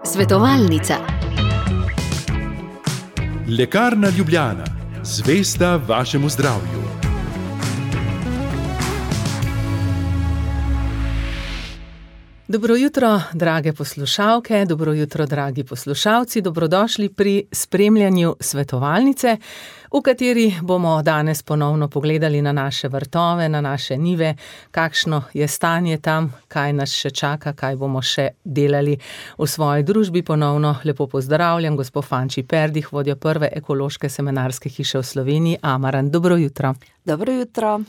Svetovalnica. Lekarna Ljubljana, zvesta vašemu zdravju. Dobro jutro, drage poslušalke, dobro jutro, dragi poslušalci, dobrodošli pri spremljanju svetovalnice, v kateri bomo danes ponovno pogledali na naše vrtove, na naše njive, kakšno je stanje tam, kaj nas še čaka, kaj bomo še delali v svoji družbi. Ponovno lepo pozdravljam gospo Fanči Perdih, vodjo prve ekološke semenarske hiše v Sloveniji, Amaran. Dobro jutro. Dobro jutro.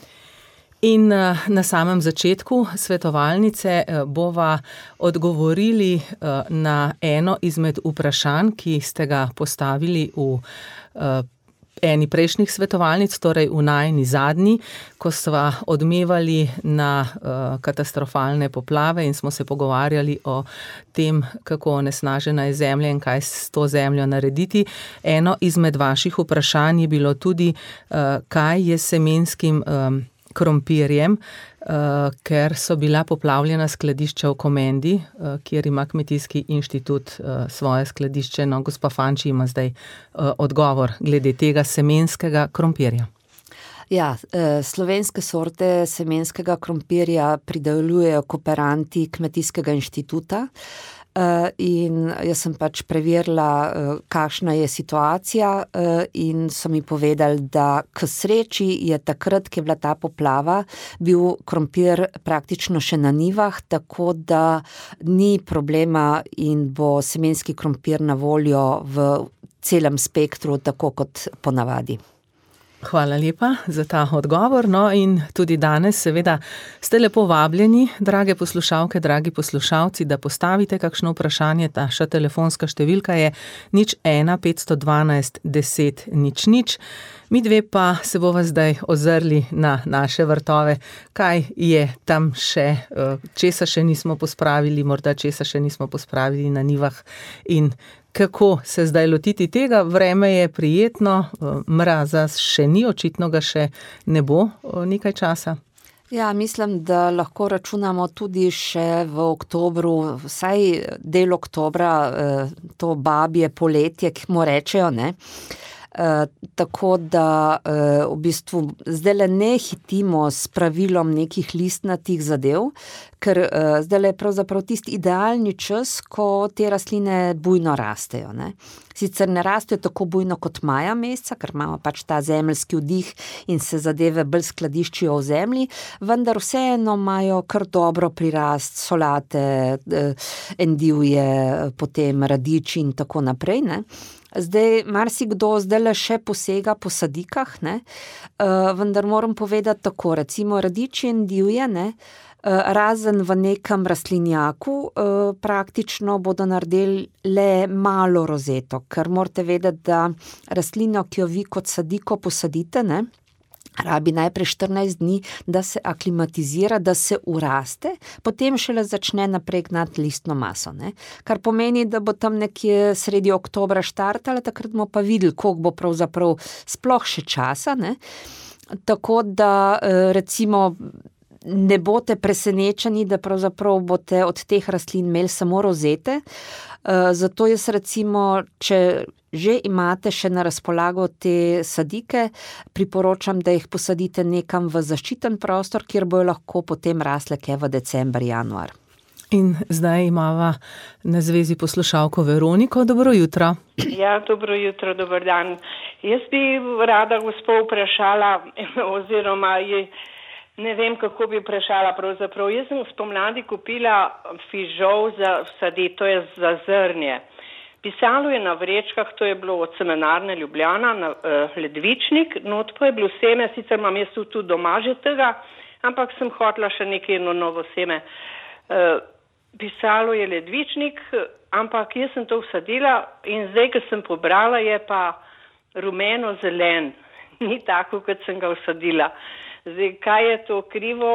In na samem začetku svetovalnice bova odgovorili na eno izmed vprašanj, ki ste ga postavili v eni prejšnjih svetovalnic, torej v najini zadnji, ko sva odmevali na katastrofalne poplave in smo se pogovarjali o tem, kako onesnažena je zemlja in kaj s to zemljo narediti. Eno izmed vaših vprašanj je bilo tudi, kaj je semenskim krompirjem, ker so bila poplavljena skladišča v Komendi, kjer ima Kmetijski inštitut svoje skladišče. No, gospa Fanči ima zdaj odgovor glede tega semenskega krompirja. Ja, slovenske sorte semenskega krompirja pridelujejo kooperanti Kmetijskega inštituta. In jaz sem pač preverila, kakšna je situacija, in so mi povedali, da k sreči je takrat, ko je bila ta poplava, bil krompir praktično še na njivah, tako da ni problema in bo semenski krompir na voljo v celem spektru, tako kot ponavadi. Hvala lepa za ta odgovor. No, in tudi danes seveda ste lepo vabljeni, drage poslušalke, dragi poslušalci, da postavite kakšno vprašanje. Naša telefonska številka je 01 512 10 00. Mi dve pa se bova zdaj ozrli na naše vrtove, kaj je tam še, česa še nismo pospravili, morda česa še nismo pospravili na njivah in kako se zdaj lotiti tega. Vreme je prijetno, mraza še ni, očitno ga še ne bo nekaj časa. Ja, mislim, da lahko računamo tudi še v oktobru, vsaj del oktobra, to babje poletje, ki mu rečejo, ne? Tako da v bistvu zdaj ne hitimo s pravilom nekih listnatih zadev, ker zdaj je pravzaprav tisti idealni čas, ko te rastline bujno rastejo, ne. Sicer ne rastejo tako bujno kot maja meseca, ker imamo pač ta zemeljski vdih in se zadeve bolj skladiščijo v zemlji, vendar vseeno imajo kar dobro prirast solate, endivje, potem radiči in tako naprej, ne. Zdaj, marsikdo zdajle še posega po sadikah, ne, vendar moram povedati tako, recimo radiči in endivje, ne, razen v nekem rastlinjaku, praktično bodo naredili le malo rozeto, ker morate vedeti, da rastlino, ki jo vi kot sadiko posadite, ne, rabi najprej 14 dni, da se aklimatizira, da se uraste, potem šele začne naprej gnati listno maso, ne. Kar pomeni, da bo tam nekje sredi oktobra štartala, takrat bomo pa videli, koliko bo pravzaprav sploh še časa, ne. Tako da recimo ne boste presenečeni, da pravzaprav boste od teh rastlin imeli samo rozete, zato jaz recimo, če že imate še na razpolago te sadike, priporočam, da jih posadite nekam v zaščiten prostor, kjer bojo lahko potem rasle kaj v december, januar. In zdaj imava na zvezi poslušalko Veroniko. Dobro jutro. Ja, dobro jutro, dober dan. Jaz bi rada gospo vprašala, oziroma ne vem, kako bi vprašala pravzaprav. Jaz sem spomladi kupila fižol za vsaditi, to je za zrnje. Pisalo je na vrečkah, to je bilo od semenarne Ljubljana, ledvičnik, not pa je bilo seme, sicer imam jaz tudi doma že tega, ampak sem hotela še nekaj novo seme. Pisalo je ledvičnik, ampak jaz sem to vsadila in zdaj, ko sem pobrala, je pa rumeno-zelen, ni tako, kot sem ga vsadila. Zdaj, kaj je to krivo?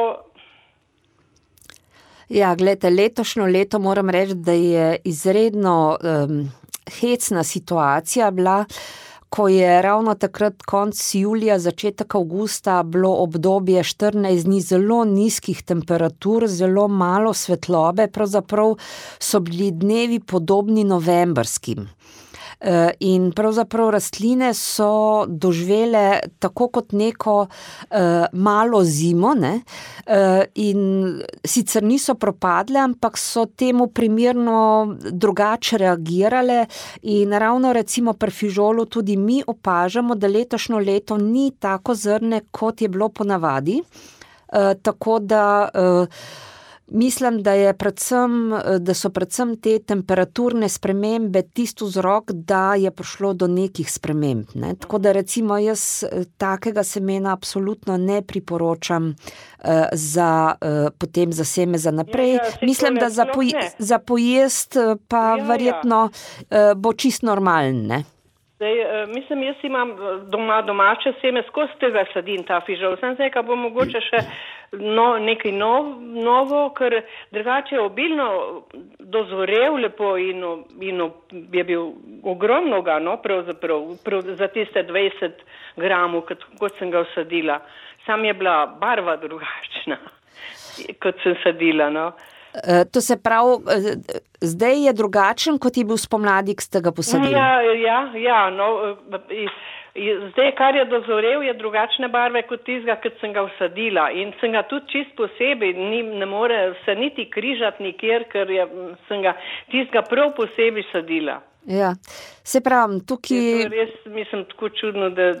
Ja, gledajte, letošnjo leto moram reči, da je izredno hecna situacija bila, ko je ravno takrat konec julija, začetek avgusta bilo obdobje 14 dni zelo nizkih temperatur, zelo malo svetlobe, pravzaprav so bili dnevi podobni novembrskim. In pravzaprav rastline so doživele tako kot neko malo zimo, ne? In sicer niso propadle, ampak so temu primerno drugače reagirale in ravno recimo pri fižolu tudi mi opažamo, da letošnjo leto ni tako zrne, kot je bilo ponavadi, tako da mislim, da so predvsem te temperaturne spremembe tisti vzrok, da je prišlo do nekih sprememb, ne. Tako da recimo jaz takega semena absolutno ne priporočam potem za seme za naprej. Mislim, da za pojest pa verjetno bo čist normalen, ne. Zdaj, mislim, jaz imam domače seme, skozi tega sadim ta fižol. Sem zdaj, ka bo mogoče še nekaj novo, ker drugače je obilno dozorel lepo in je bil ogromno ga, no, pravzaprav za tiste 20 gramov, kot sem ga vsadila. Sam je bila barva drugačna, kot sem sadila, no. To se pravi, zdaj je drugačen, kot je bil spomladi, ki ste ga posadili. Ja, no, zdaj, kar je dozorel, je drugačne barve kot tistega, kot sem ga vsadila. In sem ga tudi čist posebej, ne more se niti križati nikjer, ker sem ga tistega prav posebej sadila. Ja, se pravim, tukaj... Je to res, mislim, tako čudno, da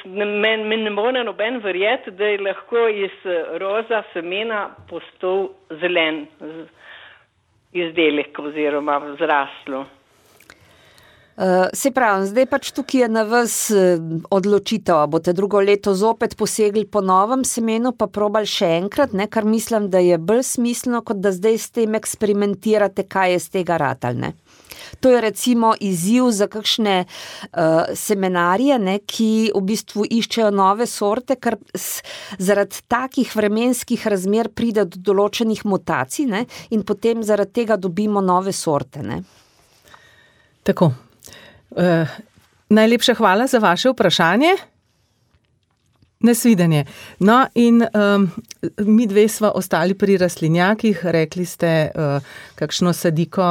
me ne more noben verjeti, da je lahko iz roza semena postal zelen izdelek oziroma zraslo. Se pravi, zdaj pač tukaj je na vas odločitev, a boste drugo leto zopet posegli po novem semenu, pa probali še enkrat, ne, kar mislim, da je bolj smiselno, kot da zdaj s tem eksperimentirate, kaj je z tega ratal, ne. To je recimo izziv za kakšne semenarje, ne, ki v bistvu iščejo nove sorte, ker zaradi takih vremenskih razmer pride do določenih mutacij, ne, in potem zaradi tega dobimo nove sorte, ne. Tako. Najlepša hvala za vaše vprašanje. Nasvidenje. No, in mi dve sva ostali pri rastlinjakih. Rekli ste, kakšno sadiko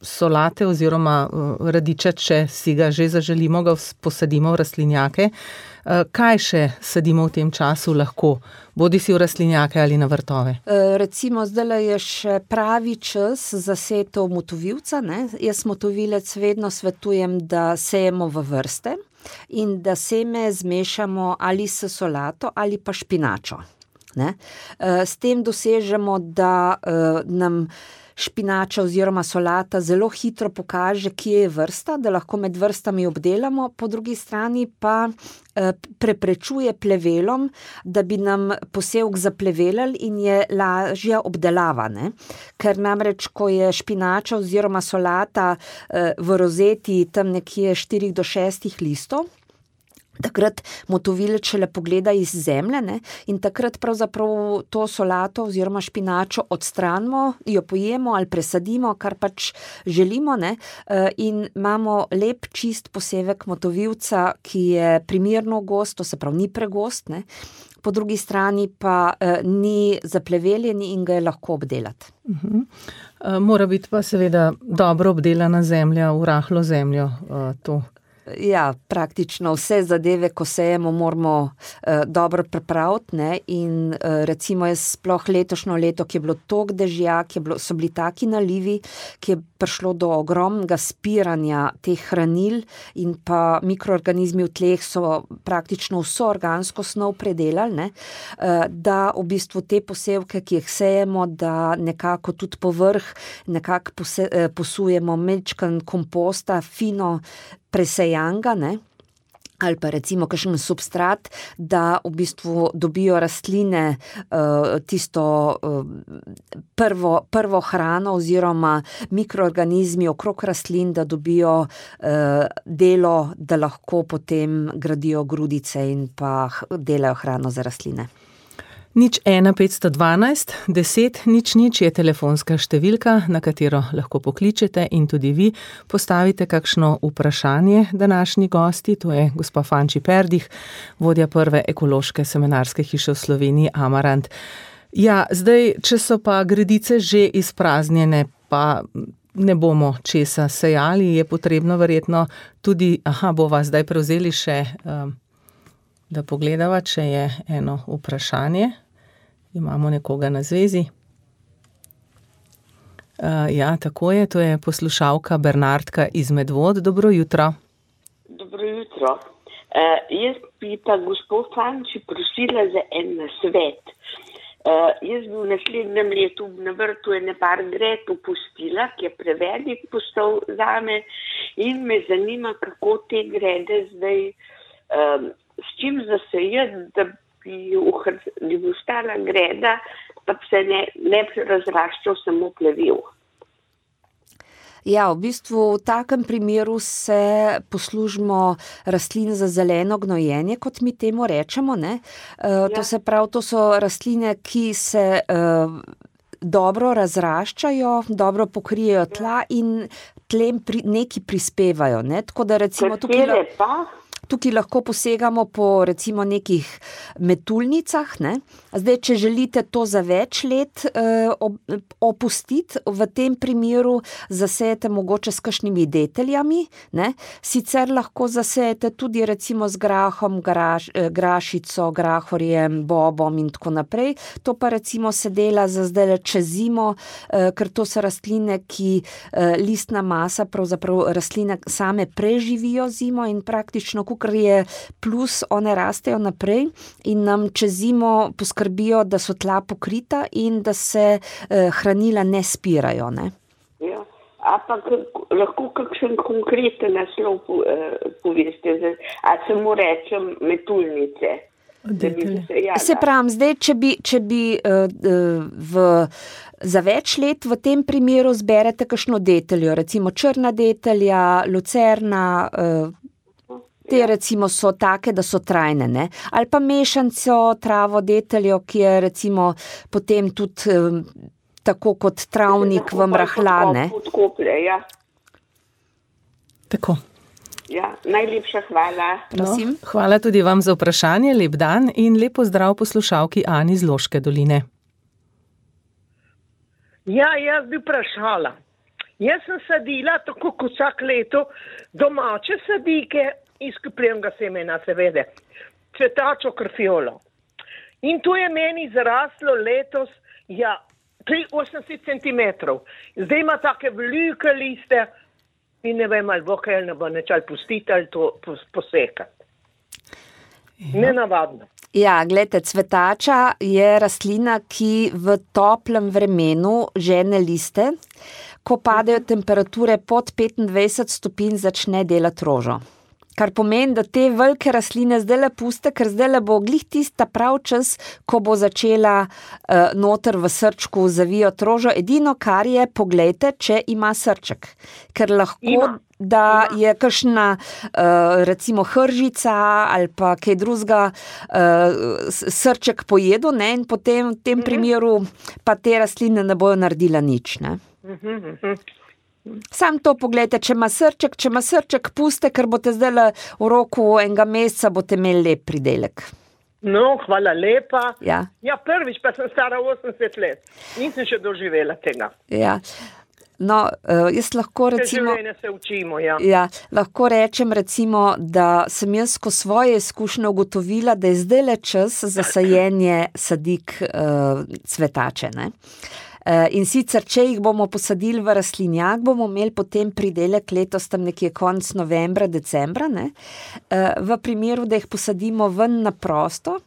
solate oziroma radiča, če si ga že zaželimo, ga posadimo v rastlinjake. Kaj še sadimo v tem času lahko? Bodi si v rastlinjake ali na vrtove? Recimo, zdaj je še pravi čas za setev motovilca, ne. Jaz motovilec vedno svetujem, da sejemo v vrste in da seme zmešamo ali s solato ali pa špinačo, ne. S tem dosežemo, da nam špinača oziroma solata zelo hitro pokaže, kje je vrsta, da lahko med vrstami obdelamo, po drugi strani pa preprečuje plevelom, da bi nam posevek zaplevelal in je lažja obdelava, ne. Ker namreč, ko je špinača oziroma solata v rozeti tam nekje 4 do 6 listov, takrat motovilec šele pogleda iz zemlje, ne, in takrat pravzaprav to solato oziroma špinačo odstranimo, jo pojemo ali presadimo, kar pač želimo, ne, in imamo lep čist posevek motovilca, ki je primerno gost, to se pravi ni pregost, ne, po drugi strani pa ni zapleveljen in ga je lahko obdelati. Mora biti pa seveda dobro obdelana zemlja, v rahlo zemljo to. Ja, praktično vse zadeve, ko sejemo, moramo dobro pripraviti, ne, in recimo jaz sploh letošnjo leto, ki je bilo toliko dežja, so bili taki nalivi, ki je prišlo do ogromnega spiranja teh hranil in pa mikroorganizmi v tleh so praktično vso organsko snov predelali, ne, da v bistvu te posevke, ki jih sejemo, da nekako tudi povrh nekako posujemo mečkan komposta, fino presejanga, ne, ali pa recimo kakšen substrat, da v bistvu dobijo rastline tisto prvo hrano oziroma mikroorganizmi okrog rastlin, da dobijo delo, da lahko potem gradijo grudice in pa delajo hrano za rastline. 01 512 10 00 je telefonska številka, na katero lahko pokličete in tudi vi postavite kakšno vprašanje današnji gosti. To je gospa Fanči Perdih, vodja prve ekološke semenarske hiše v Sloveniji Amarant. Ja, zdaj, če so pa gredice že izpraznjene, pa ne bomo česa sejali, je potrebno verjetno tudi, bova zdaj prevzeli še, da pogledava, če je eno vprašanje. Imamo nekoga na zvezi. Ja, tako je, to je poslušalka Bernardka iz Medvod. Dobro jutro. Dobro jutro. Jaz bi pa gospod Fanči prosila za en nasvet. Jaz bi v naslednjem letu na vrtu ene par gred opustila, ki je prevelik postal zame in me zanima, kako te grede zdaj, s čim zasejati, da bi ostala greda, pa se ne razraščal samo plevel. Ja, v bistvu v takem primeru se poslužimo rastlin za zeleno gnojenje, kot mi temu rečemo, ne. To se pravi, to so rastline, ki se dobro razraščajo, dobro pokrijejo tla in tlem nekaj prispevajo, ne. Tako da recimo tukaj lahko posegamo po recimo nekih metuljnicah, ne. Zdaj, če želite to za več let opustiti, v tem primeru zasejete mogoče s kakšnimi deteljami, ne. Sicer lahko zasejete tudi recimo z grahom, grašico, grahorjem, bobom in tako naprej. To pa recimo se dela za zdaj čez zimo, ker to so rastline, ki listna masa, pravzaprav rastline same preživijo zimo in praktično kar je plus, one rastejo naprej in nam čez zimo poskrbijo, da so tla pokrita in da se hranila ne spirajo, ne. Ja, ampak lahko kakšen konkreten naslov poveste, a samo rečem metuljnice. Se pravim, zdaj, če bi za več let v tem primeru zberete kakšno deteljo, recimo črna detelja, lucerna, te recimo so take, da so trajne, ne. Ali pa mešanco, travo, deteljo, ki je recimo potem tudi tako kot travnik vam rahla, ne. Ja. Tako. Ja, najlepša hvala. Prosim. No, hvala tudi vam za vprašanje, lep dan in lep pozdrav poslušalki Ani iz Loške doline. Ja, jaz bi vprašala. Jaz sem sadila, tako kot vsak leto, domače sadike iz kupljenega semena, seveda, cvetačo krfiolo. In to je meni zaraslo letos, 83 centimetrov. Zdaj ima take velike liste in ne vem, ali bo kaj, ali ne bo neč, ali pustiti, ali to posekati. Nenavadno. Ja, gledajte, cvetača je rastlina, ki v toplem vremenu žene liste. Ko padejo temperature pod 25 stopinj, začne delati rožo. Kar pomeni, da te velike rastline zdajle puste, ker zdajle bo glih tista prav čas, ko bo začela noter v srčku zavijati rožo. Edino, kar je, poglejte, če ima srček. Ker lahko, da je kakšna recimo hržica ali pa kaj drugega srček pojedu, ne, in potem v tem primeru pa te rastline ne bojo naredila nič, ne. Sam to poglejte, če ima srček, puste, ker boste zdaj v roku enega meseca boste imeli lep pridelek. No, hvala lepa. Ja, prvič pa sem stara 80 let. Nisem še doživela tega. Ja. No, jaz lahko recimo... Življenje se učimo, ja. Ja, lahko rečem recimo, da sem jaz ko svoje izkušnje ugotovila, da je zdajle čas za sajenje sadik cvetače, ne. In sicer, če jih bomo posadili v rastlinjak, bomo imeli potem pridelek letos tam nekje konec novembra, decembra, ne. V primeru, da jih posadimo ven na prosto,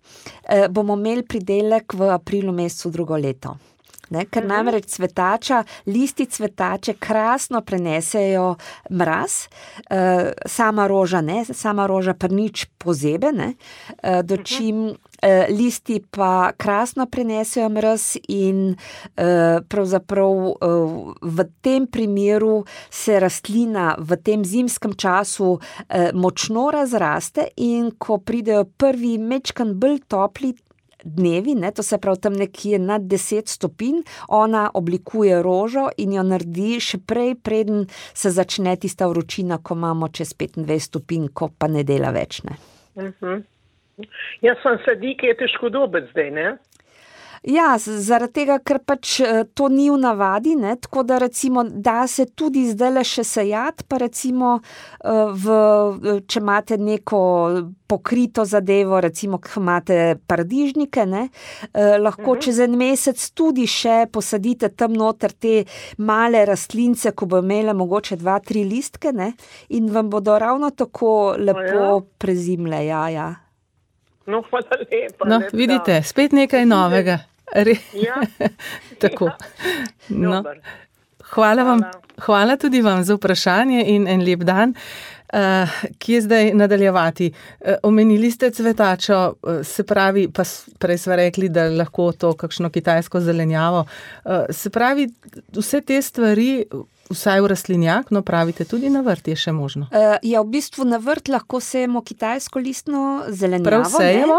bomo imeli pridelek v aprilu mesecu drugo leto. Ne, ker namreč cvetača, listi cvetače krasno prenesejo mraz, sama roža ne, sama roža pa nič pozebe, ne, dočim listi pa krasno prenesejo mraz in pravzaprav v tem primeru se rastlina v tem zimskem času močno razraste in ko pridejo prvi mečkan bolj topli dnevi, ne, to se pravi tam nekje nad 10 stopinj, ona oblikuje rožo in jo naredi še prej, preden se začne tista vročina, ko imamo čez 25 stopinj, ko pa ne dela več, ne. Jaz sem sadik, je težko dobiti zdaj, ne? Ja, zaradi tega, ker pač to ni v navadi, ne, tako da recimo da se tudi zdajle še sejati, pa recimo če imate neko pokrito zadevo, recimo, ko imate paradižnike, ne, lahko čez en mesec tudi še posadite tam noter te male rastlince, ko bo imele mogoče 2-3 listke, ne, in vam bodo ravno tako lepo prezimle, ja. No, hvala lepa. No, vidite, spet nekaj novega. Ja. Tako. No. Hvala tudi vam za vprašanje in en lep dan. Kje zdaj nadaljevati? Omenili ste cvetačo, se pravi, pa prej sva rekli, da lahko to kakšno kitajsko zelenjavo. Se pravi, vse te stvari, vsaj v rastlinjak, no pravite, tudi na vrt je še možno. Ja, v bistvu na vrt lahko sejemo kitajsko listno zelenjavo. Prav sejemo?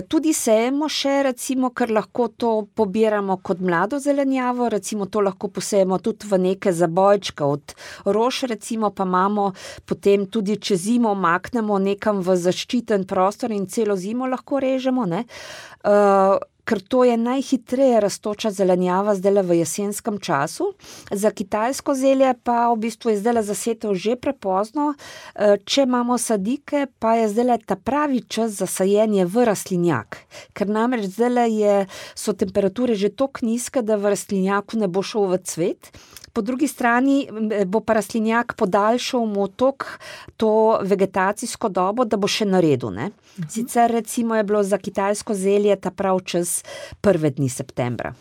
Tudi sejemo še, recimo, ker lahko to pobiramo kot mlado zelenjavo, recimo to lahko posejemo tudi v neke zabojčke od rož, recimo, pa imamo potem tudi čez zimo maknemo nekam v zaščiten prostor in celo zimo lahko režemo, ne. Ker to je najhitreje rastoča zelenjava zdajle v jesenskem času. Za kitajsko zelje pa v bistvu je zdajle zasetev že prepozno. Če imamo sadike, pa je zdajle ta pravi čas za sajenje v rastlinjak. Ker namreč zdajle so temperature že toliko nizke, da v rastlinjaku ne bo šel v cvet. Po drugi strani bo pa rastlinjak podaljšal mu to vegetacijsko dobo, da bo še naredil, ne. Sicer recimo je bilo za kitajsko zelje ta prav čas 1. dni septembra.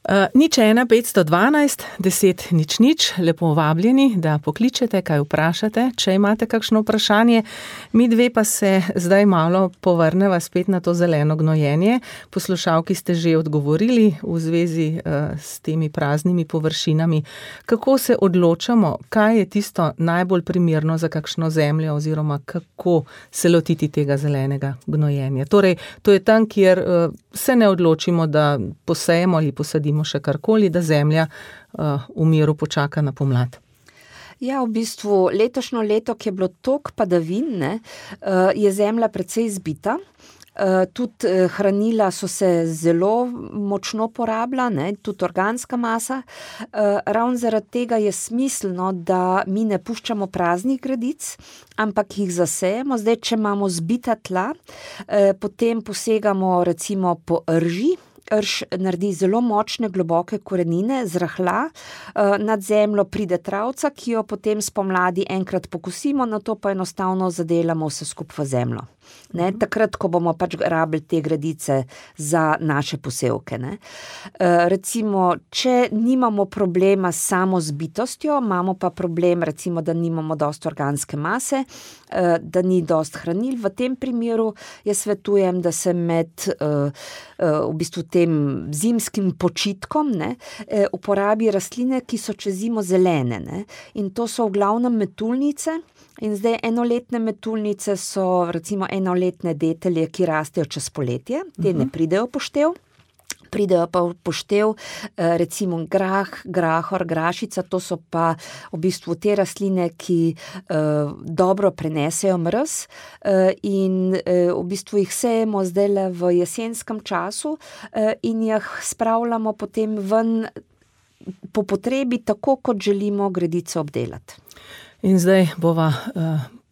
01 512 10 00, lepo vabljeni, da pokličete, kaj vprašate, če imate kakšno vprašanje. Mi dve pa se zdaj malo povrneva spet na to zeleno gnojenje. Poslušalki ste že odgovorili v zvezi s temi praznimi površinami. Kako se odločamo, kaj je tisto najbolj primerno za kakšno zemljo oziroma kako se lotiti tega zelenega gnojenja? Torej, to je tam, kjer se ne odločimo, da posejemo ali posadimo še karkoli, da zemlja v miru počaka na pomlad. Ja, v bistvu letošnjo leto, ki je bilo toliko padavin, ne, je zemlja precej zbita. Tudi hranila so se zelo močno porabila, ne, tudi organska masa. Ravno zaradi tega je smiselno, da mi ne puščamo praznih gredic, ampak jih zasejemo. Zdaj, če imamo zbita tla, potem posegamo recimo po rži. Rž naredi zelo močne, globoke korenine, zrahla, nad zemljo pride travca, ki jo potem spomladi enkrat pokosimo, nato pa enostavno zadelamo vse skupaj v zemljo. Ne, takrat, ko bomo pač rabili te gredice za naše posevke, ne. Recimo, če nimamo problema s samo zbitostjo, imamo pa problem, recimo, da nimamo dosti organske mase, da ni dosti hranil, v tem primeru jaz svetujem, da se med v bistvu tem zimskim počitkom, ne, uporabi rastline, ki so čez zimo zelene, ne. In to so v glavnem metuljnice. In zdaj enoletne metuljnice so recimo enoletne detelje, ki rastejo čez poletje, te ne pridejo v poštev. Pridejo pa v poštev recimo grah, grahor, grašica, to so pa v bistvu te rastline, ki dobro prenesejo mraz in v bistvu jih sejemo zdajle v jesenskem času in jih spravljamo potem ven po potrebi, tako kot želimo gredico obdelati. In zdaj bova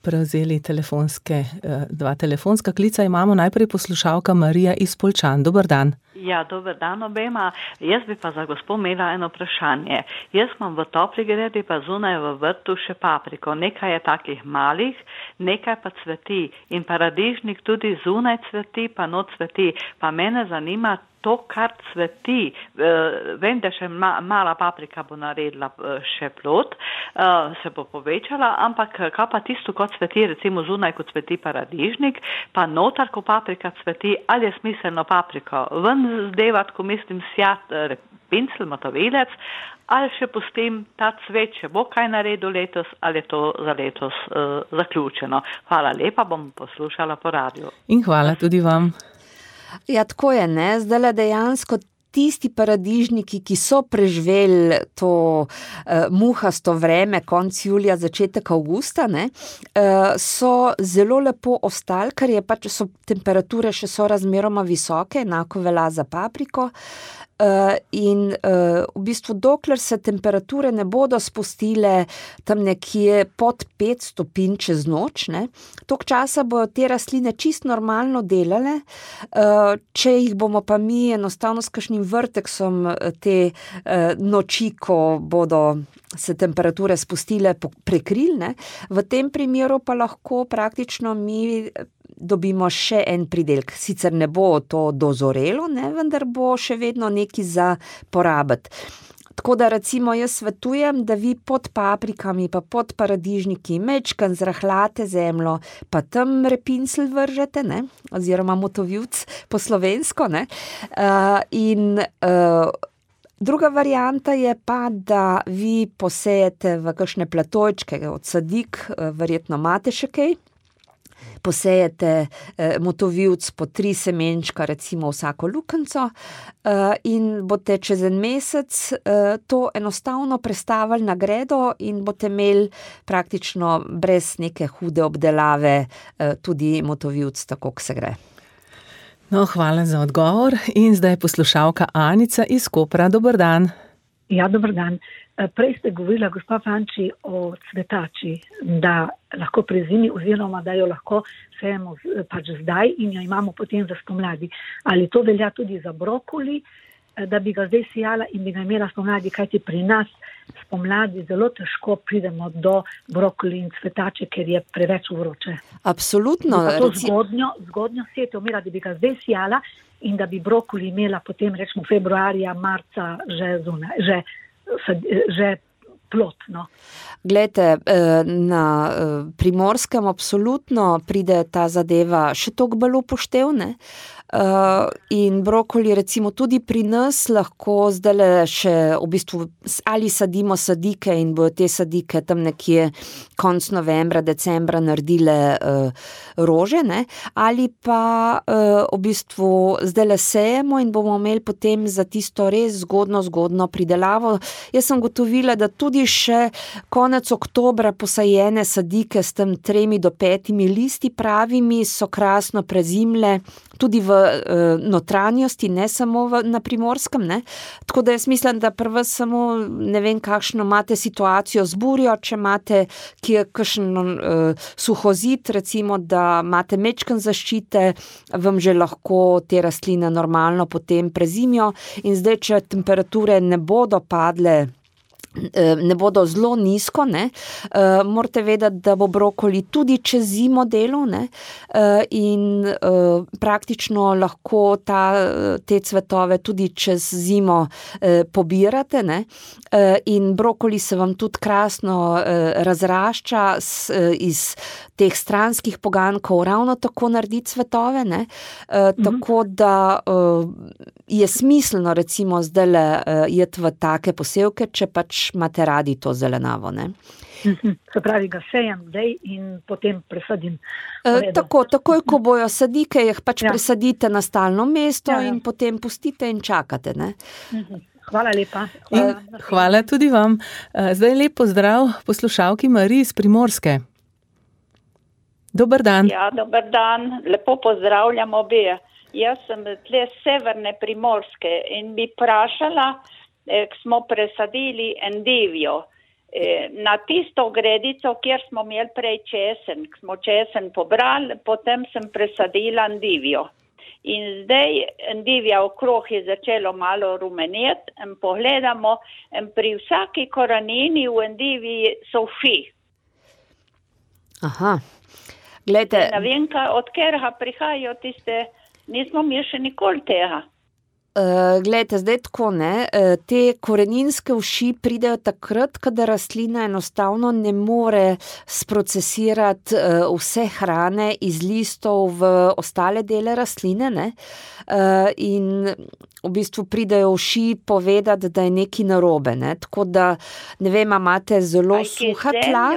prevzeli dva telefonska klica. Imamo najprej poslušalka Marija iz Poljčan. Dober dan. Ja, dober dan obema. Jaz bi pa za gospo imela eno vprašanje. Jaz imam v topli gredi pa zunaj v vrtu še papriko. Nekaj je takih malih, nekaj pa cveti. In paradižnik tudi zunaj cveti, pa not cveti. Pa mene zanima to, kar cveti. Vem, da še mala paprika bo naredila še plod, se bo povečala, ampak kaj pa tisto, kot cveti, recimo zunaj, kot cveti paradižnik, pa notar, ko paprika cveti, ali je smiselno papriko ven zdevati, ko mislim sjat pincel, motovilec, ali še pustim ta cvet, če bo kaj naredil letos, ali je to za letos zaključeno. Hvala lepa, bom poslušala po radiju. In hvala tudi vam. Ja, tako je, ne, zdaj dejansko tisti paradižniki, ki so preživeli to muhasto vreme, konec julija, začetek avgusta, ne, so zelo lepo ostali, ker je pač so temperature še so razmeroma visoke, enako velja za papriko. In v bistvu dokler se temperature ne bodo spustile tam nekje pod 5 stopinj čez noč, ne, toliko časa bodo te rastline čisto normalno delale, če jih bomo pa mi enostavno s kakšnim vrteksom te noči, ko bodo se temperature spustile, prekrili, ne, v tem primeru pa lahko praktično mi dobimo še en pridelek. Sicer ne bo to dozorelo, ne, vendar bo še vedno nekaj za porabiti. Tako da recimo jaz svetujem, da vi pod paprikami pa pod paradižniki mečkan zrahljate zemljo, pa tam repincel vržete, ne, oziroma motovivc po slovensko, ne, in druga varianta je pa, da vi posejete v kakšne platojčke od sadik, verjetno imate še kaj, posejete motovivc po 3 semenčka, recimo vsako lukenco, in boste čez en mesec to enostavno prestavili na gredo in boste imeli praktično brez neke hude obdelave tudi motovivc, tako kot se gre. No, hvala za odgovor in zdaj poslušalka Anica iz Kopra. Dober dan. Ja, dober dan. Prej ste govorila, gospa Fanči, o cvetači, da lahko prezimi oziroma da jo lahko sejemo pač zdaj in jo imamo potem za spomladi. Ali to velja tudi za brokoli, da bi ga zdaj sijala in bi ga imela spomladi, kajti pri nas spomladi zelo težko pridemo do brokoli in cvetače, ker je preveč vroče. Absolutno. To zgodnjo setev imela, da bi ga zdaj sijala in da bi brokoli imela potem rečemo februarja, marca že plot, no. Glejte, na Primorskem absolutno pride ta zadeva še toliko bolj upoštev, ne? In brokoli recimo tudi pri nas lahko zdajle še v bistvu ali sadimo sadike in bojo te sadike tam nekje konec novembra, decembra naredile rože, ne? Ali pa v bistvu zdajle sejemo in bomo imeli potem za tisto res zgodno pridelavo. Jaz sem gotovila, da tudi še konec oktobra posajene sadike s tem 3 do 5 listi pravimi so krasno prezimle, tudi v notranjosti, ne samo na Primorskem, ne. Tako da jaz mislim, da pri vas samo ne vem, kakšno imate situacijo z burjo, če imate kje kakšen suhozid, recimo, da imate mečken zaščite, vam že lahko te rastline normalno potem prezimijo in zdaj, če temperature ne bodo padle, ne bodo zelo nizko, ne, morate vedeti, da bo brokoli tudi čez zimo delal, ne, in praktično lahko te cvetove tudi čez zimo pobirate, ne, in brokoli se vam tudi krasno razrašča iz teh stranskih pogankov, ravno tako naredi cvetove, ne, tako da je smiselno recimo zdajle jeti v take posevke, če pač imate radi to zelenavo, ne. Se pravi, ga sejem zdaj in potem presadim. Takoj, ko bojo sadike, jih pač presadite na stalno mesto in potem pustite in čakate, ne. Hvala lepa. Hvala tudi vam. Zdaj lep pozdrav poslušalki Mariji iz Primorske. Dober dan. Ja, dober dan. Lepo pozdravljam obe. Jaz sem tle severne Primorske in bi vprašala, smo presadili endivijo. Na tisto gredico, kjer smo imeli prej česen, smo česen pobrali, potem sem presadila endivijo. In zdaj endivija okrog je začelo malo rumeneti in pogledamo, in pri vsaki korenini v endiviji so vši. Aha, glejte. Ne vem, od katerega prihajajo tiste, nismo mi še nikoli tega. Glejte, zdaj tako, ne, te koreninske uši pridejo takrat, kadar rastlina enostavno ne more sprocesirati vse hrane iz listov v ostale dele rastline, ne, in v bistvu pridejo uši povedati, da je nekaj narobe, ne, tako da, ne vem, imate zelo suha tla.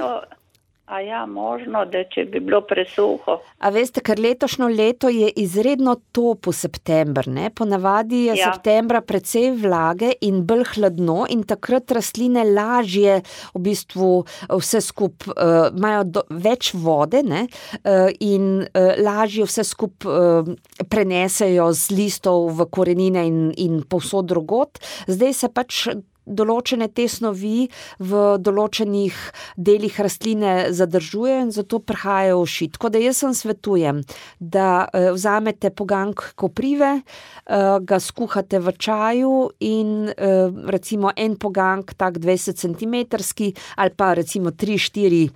A ja, možno, da če bi bilo presuho. A veste, ker letošnjo leto je izredno topo september, ne? Ponavadi je septembra precej vlage in bolj hladno in takrat rastline lažje v bistvu vse imajo več vode, ne? In lažje vse prenesejo z listov v korenine in povsod drugot. Zdaj se pač določene te snovi v določenih delih rastline zadržujejo in zato prihajajo uši. Tako da jaz svetujem, da vzamete poganjek koprive, ga skuhate v čaju in recimo en poganjek, tak 20 centimetrski ali pa recimo 3-4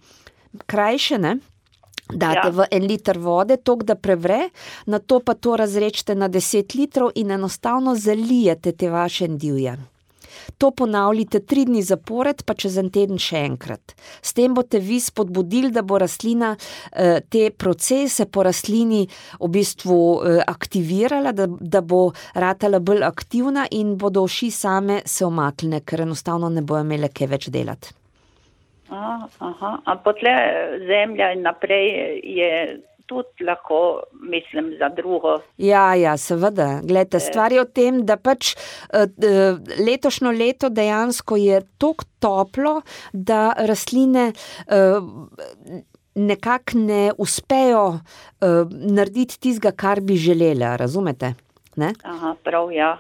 krajše, ne? Date v 1 liter vode, toliko da prevre, nato pa to razrečete na 10 litrov in enostavno zalijete te vaše endivije. To ponavljite 3 dni zapored, pa čez en teden še enkrat. S tem boste vi spodbudili, da bo rastlina te procese po rastlini v bistvu aktivirala, da bo ratala bolj aktivna in bodo uši same se omaknile, ker enostavno ne bojo imele kaj več delati. A potle zemlja in naprej je tudi lahko, mislim, za drugo. Ja, seveda. Glejte, stvar je o tem, da pač letošnjo leto dejansko je toliko toplo, da rastline nekako ne uspejo narediti tistega, kar bi želela, razumete? Ne? Prav, ja,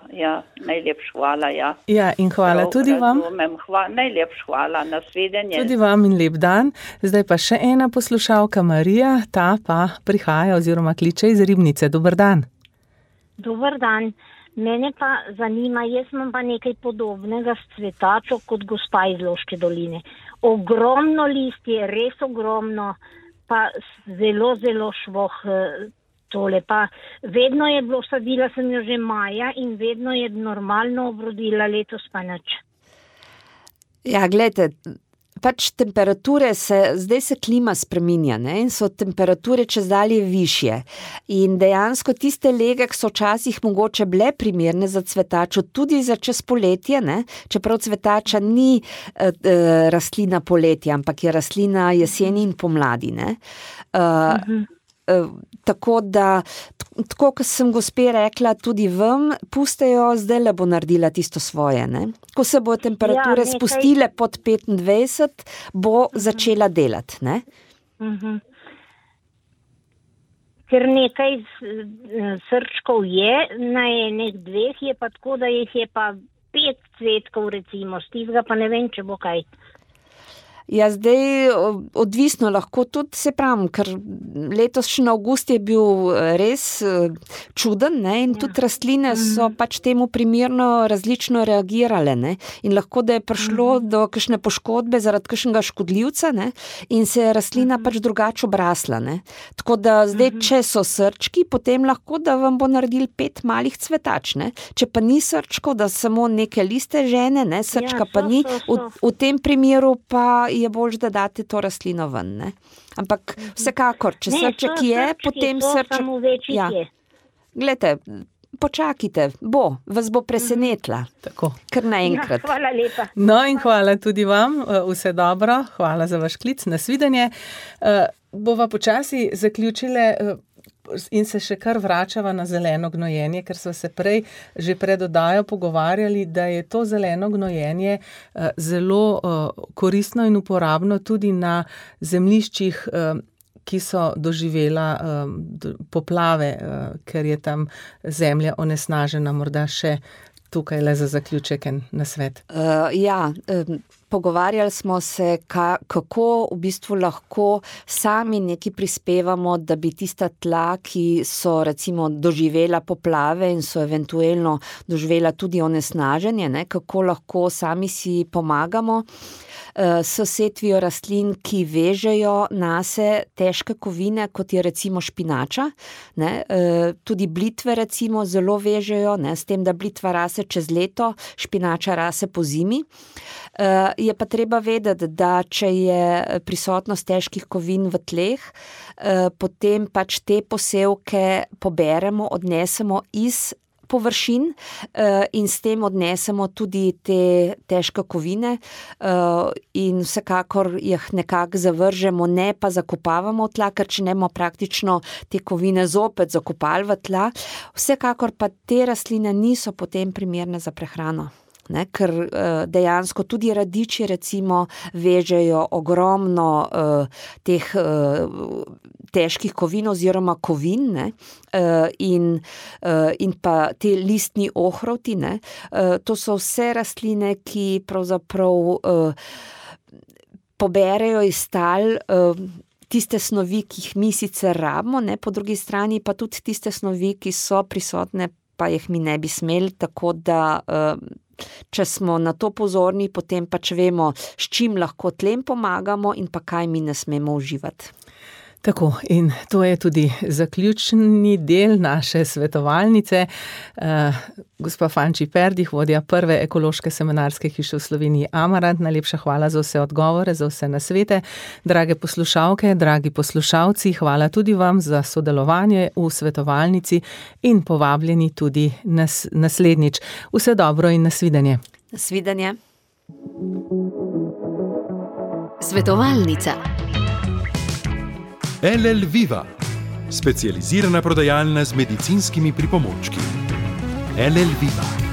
najlepša hvala, ja. Ja, in hvala prav, tudi vam. Najlepša hvala, nasvidenje. Tudi vam in lep dan. Zdaj pa še ena poslušalka, Marija, ta pa prihaja oziroma kliče iz Ribnice. Dober dan. Dober dan. Mene pa zanima, jaz imam pa nekaj podobnega s cvetačo kot gospa iz Loške doline. Ogromno listje, res ogromno, pa zelo, zelo švoh tole. Pa vedno je bilo, sadila sem jo že maja in vedno je normalno obrodila, letos pa nič. Ja, gledajte, pač temperature zdaj se klima spreminja, ne, in so temperature čezdalje višje. In dejansko tiste lege, ki so včasih mogoče bile primerne za cvetačo, tudi za čez poletje, ne, čeprav cvetača ni rastlina poletja, ampak je rastlina jeseni in pomladi, ne. Tako da, tako kot sem gospe rekla, tudi vam pustejo, zdaj bo naredila tisto svoje, ne. Ko se bo temperature spustile pod 25, bo začela delati, ne. Ker nekaj srčkov je, na enih 2 je pa tako, da jih je pa 5 cvetkov recimo, s tistega pa ne vem, če bo kaj. Ja, zdaj odvisno lahko tudi, se pravim, ker letošnji avgust je bil res čuden, ne, in tudi rastline so pač temu primerno različno reagirale, ne, in lahko da je prišlo do kakšne poškodbe zaradi kakšnega škodljivca, ne, in se je rastlina pač drugače obrasla, ne. Tako da zdaj, če so srčki, potem lahko, da vam bo naredil 5 malih cvetač, ne. Če pa ni srčkov, da samo neke liste žene, ne, srčka pa ni, v tem primeru pa je bolj, da date to rastlino ven, ne. Ampak vsekakor, če srček je, potem srček... Ja. Glejte, počakajte, vas bo presenetila. Tako. Kar naenkrat. Ja, hvala lepa. No in hvala tudi vam, vse dobro, hvala za vaš klic, nasvidenje. Bova počasi zaključile in se še kar vračava na zeleno gnojenje, ker so se prej že pred oddajo pogovarjali, da je to zeleno gnojenje zelo koristno in uporabno tudi na zemljiščih, ki so doživela poplave, ker je tam zemlja onesnažena, morda še tukaj le za zaključek en nasvet. Pogovarjali smo se, kako v bistvu lahko sami nekaj prispevamo, da bi tista tla, ki so recimo doživela poplave in so eventuelno doživela tudi onesnaženje, ne, kako lahko sami si pomagamo s setvijo rastlin, ki vežejo nase težke kovine, kot je recimo špinača, ne, tudi blitve recimo zelo vežejo, ne, s tem, da blitva rase čez leto, špinača rase po zimi. Je pa treba vedeti, da če je prisotnost težkih kovin v tleh, potem pač te posevke poberemo, odnesemo iz površin in s tem odnesemo tudi te težke kovine in vsekakor jih nekako zavržemo, ne pa zakopavamo v tla, ker če ne bomo praktično te kovine zopet zakopali v tla. Vsekakor pa te rastline niso potem primerne za prehrano. Ne, ker dejansko tudi radiči recimo vežejo ogromno teh težkih kovin oziroma kovin, ne, in pa te listni ohrovti, ne, to so vse rastline, ki pravzaprav poberejo iz tal tiste snovi, ki jih mi sicer rabimo, ne, po drugi strani pa tudi tiste snovi, ki so prisotne, pa jih mi ne bi smeli, tako da če smo na to pozorni, potem pač vemo, s čim lahko tlem pomagamo in pa kaj mi ne smemo uživati. Tako, in to je tudi zaključni del naše svetovalnice. Gospa Fanči Perdih, vodja prve ekološke semenarske hiše v Sloveniji Amarant, najlepša hvala za vse odgovore, za vse nasvete. Drage poslušalke, dragi poslušalci, hvala tudi vam za sodelovanje v svetovalnici in povabljeni tudi naslednjič. Vse dobro in nasvidenje. Nasvidenje. Svetovalnica. LL Viva, specializirana prodajalna z medicinskimi pripomočki. LL Viva.